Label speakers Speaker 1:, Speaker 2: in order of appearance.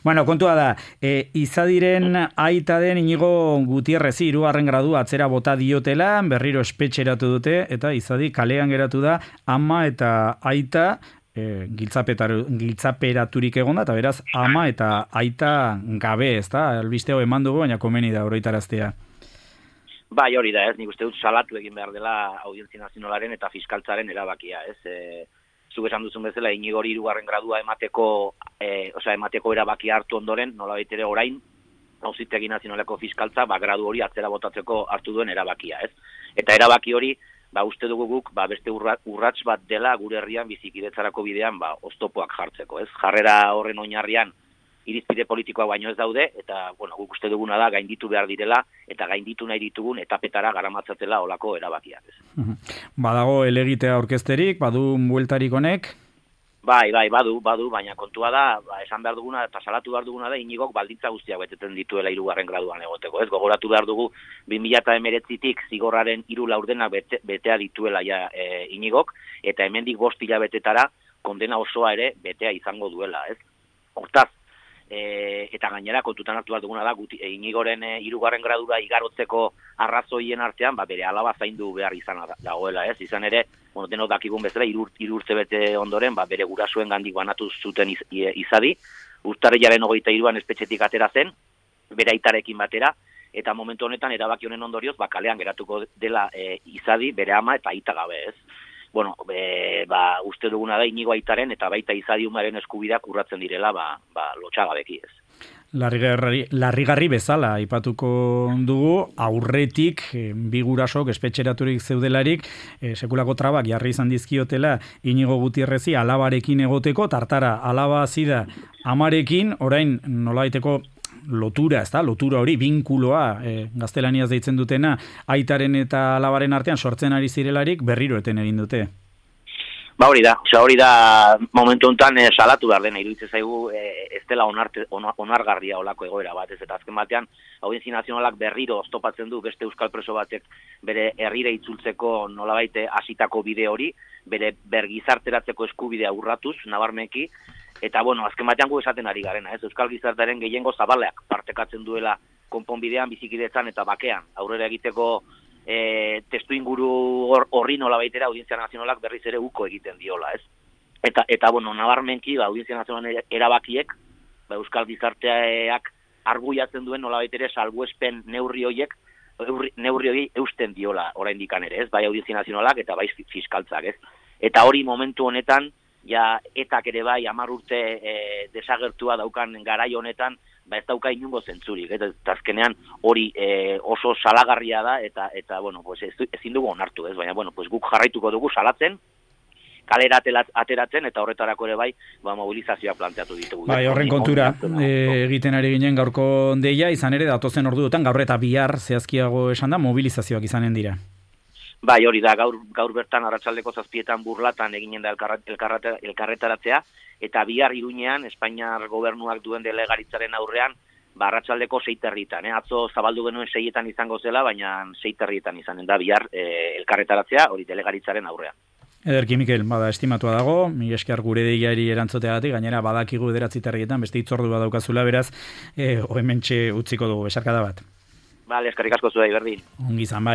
Speaker 1: Bueno, kontua da, Izadiren aita den Inigo Gutierrezi 3. gradu atzera bota diotela, berriro espetxeratu dute, eta Izadi kalean geratu da, ama eta aita giltzaperaturik egon da, eta beraz, ama eta aita gabe, ez da? Albiste hau eman dugu, baina komeni da oroitaraztea.
Speaker 2: Bai, hori da, ez, nik uste dut salatu egin behar dela Audientzia Nazionalaren eta fiskaltzaren erabakia, ez. Zuk esan duzun bezala, Inigori 3. gradua emateko erabakia hartu ondoren, nolabait ere orain, Auzitegi Nazionaleko fiskaltza, gradu hori atzera botatzeko hartu duen erabakia, ez. Eta erabaki hori, uste dugu guk, beste urrats bat dela gure herrian bizikidetzarako bidean, oztopoak jartzeko, ez. Jarrera horren oinarrian, irizpide politikoa baino ez daude, eta, guk uste duguna da gainditu behar direla, eta gainditu nahi ditugun etapetara garamatzatela olako erabakiak.
Speaker 1: Badago elegitea aurkezterik, badu bueltarik honek?
Speaker 2: Bai, badu, baina kontua da, esan behar duguna, eta salatu behar duguna da, Inigok baldintza guztiak beteten dituela 3. graduan egoteko, ez? Gogoratu behar dugu, 2019tik zigorraren 3 laurdenak betea dituela Inigok, eta hemendik 5 hilabetetara kondena osoa ere betea izango duela, ez? Hortaz, eta gainera kontutan hartu behar duguna da, Inigoren 3. gradura igarotzeko arrazoien artean, bere alaba zaindu behar izan dagoela, ez? Izan ere, denok dakigun bezala, 3 urte bete ondoren, bere gurasoen gandik banatu zuten Izadi, urtarrilaren 23an espetxetik atera zen, bere aitarekin batera, eta momentu honetan erabaki honen ondorioz, kalean geratuko dela Izadi, bere ama eta aita gabe, ez? Uste duguna da Inigo aitaren eta baita Izadi umaren eskubideak urratzen direla, lotxagabeki, ez.
Speaker 1: Larrigarri bezala aipatuko dugu, aurretik bi gurasok espetxeraturik zeudelarik sekulako trabak jarri izan dizkiotela Inigo Gutierrezi alabarekin egoteko, tartara alaba zida amarekin, orain nolabaiteko lotura, ez da? Lotura hori, binkuloa, gaztelaniaz deitzen dutena, aitaren eta alabaren artean sortzen ari zirelarik berriro eten egin dute.
Speaker 2: Hori da momentu honetan salatu behar dena, iruditzen zaigu ez dela onargarria olako egoera bat, ez, eta azken batean Audientzia Nazionalak berriro oztopatzen du beste euskal preso batek bere herrire itzultzeko nolabait hasitako bide hori, bere bergizarteratzeko eskubidea urratuz, nabarmeki, eta azken batean gu esaten ari garena, ez, euskal gizartaren gehiengo zabaleak partekatzen duela konponbidean, bizikidetzan eta bakean, aurrera egiteko testu inguru horri nolabaitera Audientzia Nazionalak berriz ere uko egiten diola, ez? Eta nabarmenki, Audientzia Nazionalak erabakiek, euskal gizarteak arguiatzen duen nolabaitere salbuespen neurri horiek eusten diola oraindikan ere, ez? Bai Audientzia Nazionalak eta bai fiskaltzak, ez? Eta hori momentu honetan, etak ere bai 10 urte desagertua daukan garai honetan, ez dauka inungo zentzurik, eta azkenean hori oso salagarria da, eta ezin dugu onartu, ez? Baina, guk jarraituko dugu salatzen, kalera ateratzen, eta horretarako ere bai, mobilizazioa planteatu ditugu.
Speaker 1: Bai, horren kontura egiten ari ginen gaurko deia, izan ere datozen orduotan, gaur eta bihar zehazkiago esan da, mobilizazioak izanen dira.
Speaker 2: Bai, hori da, gaur bertan arratsaldeko 7 Burlatan eginen da elkarretaratzea, eta bihar Iruñean, Espainiar gobernuak duen delegaritzaren aurrean, arratsaldeko 6 Atzo zabaldu genuen 6 izango zela, baina 6 izanen da bihar elkarretaratzea, hori delegaritzaren aurrean.
Speaker 1: Ederki, Mikel, estimatua dago, mila esker gure deiari erantzuteagatik, gainera badakigu 9 beste hitzordu badaukazula, beraz, hementxe utziko dugu, besarkada bat.
Speaker 2: Eskerrik asko zuei, berdin.
Speaker 1: Ongi izan, bai.